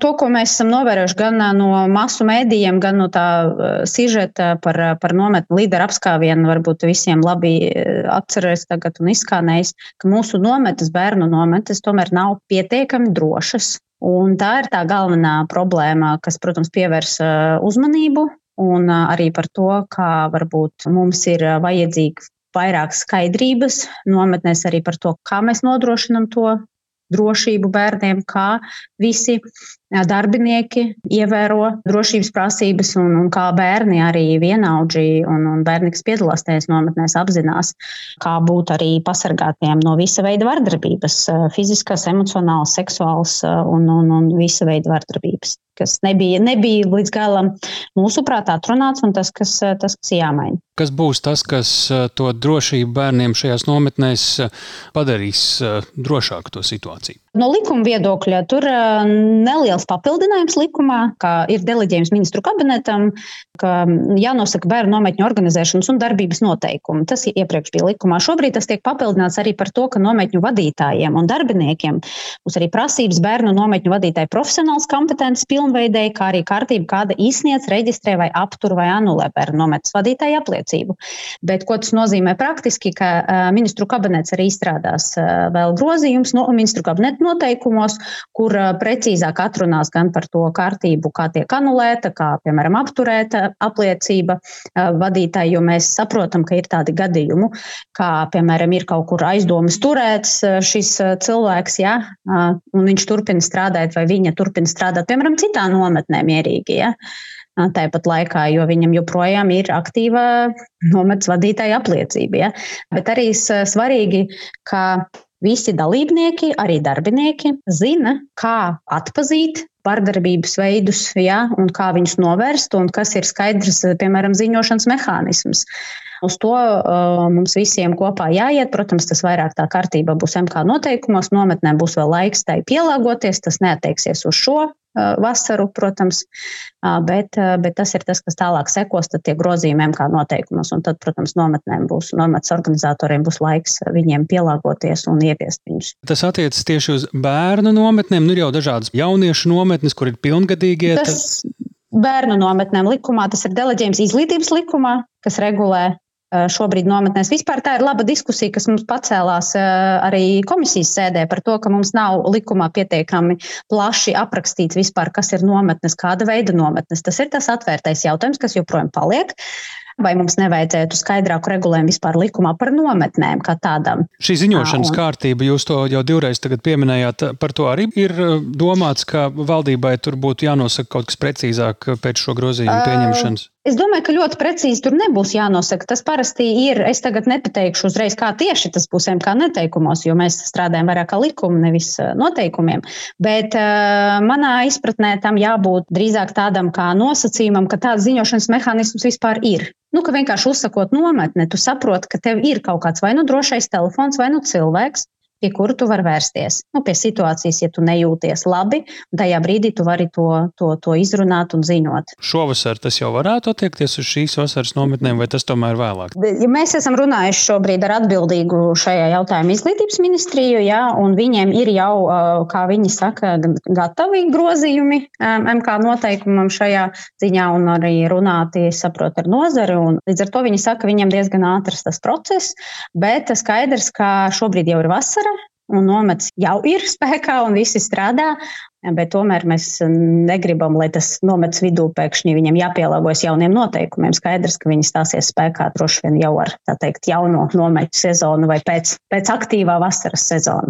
To, ko mēs esam novērojuši gan no masu mēdījiem, gan no tā sižeta par nometni līderu apskāvienu, varbūt visiem labi atcerēs tagad un izskanējis, ka mūsu nometnes, bērnu nometnes, tomēr nav pietiekami drošas. Un tā ir tā galvenā problēma, kas, protams, pievērs uzmanību, un arī par to, kā varbūt mums ir vajadzīga vairāk skaidrības nometnēs arī par to, kā mēs nodrošinam to drošību bērniem, kā visi darbinieki ievēro drošības prasības un kā bērni arī vienaudži un bērni, kas piedalās tajās nometnēs, apzinās, kā būt arī pasargātiem no visa veida vardarbības, fiziskās, emocionālas, seksuālas un visa veida vardarbības, kas nebija līdz galam mūsuprāt atrunāts un tas, kas jāmaina. Kas būs tas, kas to drošību bērniem šajās nometnēs padarīs drošāku to situāciju? No likuma viedokļa tur neliels papildinājums likumā, kā ir deleģējums ministru kabinetam, ka jānosaka bērnu nometņu organizēšanas un darbības noteikumi. Tas iepriekš bija likumā. Šobrīd tas tiek papildināts arī par to, ka nometņu vadītājiem un darbiniekiem būs arī prasības bērnu nometņu vadītāju profesionāls kompetences pilnveidēji, kā arī kārtība, kāda izsniedz, reģistrē vai aptur vai anulē bērnu nometnes vadītāju apliecību. Bet ko tas nozīmē praktiski, ka ministru kabinets arī izstrādās vēl grozījums no ministru kabineta noteikumos, kur precīzāk atrunās gan par to kārtību, kā tiek anulēta, kā, piemēram, apturēta apliecība vadītāji, jo mēs saprotam, ka ir tādi gadījumi, kā, piemēram, ir kaut kur aizdomas turēts šis cilvēks, ja, un viņš turpina strādāt vai viņa turpina strādāt, piemēram, citā nometnē mierīgi, ja. Tāpat laikā, jo viņam joprojām ir aktīva nometnes vadītāja apliecība. Ja? Bet arī svarīgi, ka visi dalībnieki, arī darbinieki, zina, kā atpazīt vardarbības veidus, ja, un kā viņus novērst, un kas ir skaidrs, piemēram, ziņošanas mehānisms. Uz to mums visiem kopā jāiet. Protams, tas vairāk tā kārtība būs MK noteikumos, nometnē būs vēl laiks tai pielāgoties, tas neattieksies uz šo vasaru, protams, bet tas ir tas, kas tālāk sekos, tad tie grozījumi MK noteikumos, un tad, protams, nometnes organizatoriem būs laiks viņiem pielāgoties un ieviest viņus. Tas attiecas tieši uz bērnu nometnēm, nu ir jau dažādas jauniešu nometnes, kur ir pilngadīgie. Bērnu nometnēm likumā, tas ir deleģējums izglītības likumā, kas regulē šobrīd nometnēs. Vispār tā ir laba diskusija, kas mums pacēlās arī komisijas sēdē par to, ka mums nav likumā pietiekami plaši aprakstīts vispār, kas ir nometnes, kāda veida nometnes. Tas ir tas atvērtais jautājums, kas joprojām paliek. Vai mums nevajadzētu skaidrāku regulējumu vispār likumā par nometnēm kā tādām? Šī ziņošanas kārtība, jūs to jau divreiz tagad pieminējāt, par to arī ir domāts, ka valdībai tur būtu jānosaka kaut kas precīzāk pēc šo grozījumu pieņemšanas? Es domāju, ka ļoti precīzi tur nebūs jānosaka. Tas parasti ir, es tagad nepateikšu uzreiz, kā tieši tas būs MK noteikumos, jo mēs strādājam vairāk kā likumu, nevis noteikumiem. Bet manā izpratnē tam jābūt drīzāk tādam kā nosacījumam, ka tāds ziņošanas mehānisms vispār ir. Ka vienkārši uzsakot nometni, tu saproti, ka tev ir kaut kāds vai nu drošais telefons, vai nu cilvēks, pie kura tu vari vērsties. Pie situācijas, ja tu nejūties labi, tajā brīdī tu vari to izrunāt un ziņot. Šovasar tas jau varētu attiekties uz šīs vasaras nometnēm, vai tas tomēr vēlāk? Ja mēs esam runājuši šobrīd ar atbildīgu šajā jautājumā izglītības ministriju, ja, un viņiem ir jau, kā viņi saka, gatavi grozījumi MK noteikumam šajā ziņā un arī runāti, saprot, ar nozari. Un līdz ar to viņi saka, viņiem diezgan ātrs tas process, bet skaidrs, ka šobrīd jau ir vasara, un nometnes jau ir spēkā un visi strādā, bet tomēr mēs negribam, lai tas nometnes vidū pēkšņi viņiem jāpielāgojas jauniem noteikumiem. Skaidrs, ka viņi stāsies spēkā droši vien jau ar, tā teikt, jauno nometņu sezonu vai pēc aktīvā vasaras sezonu.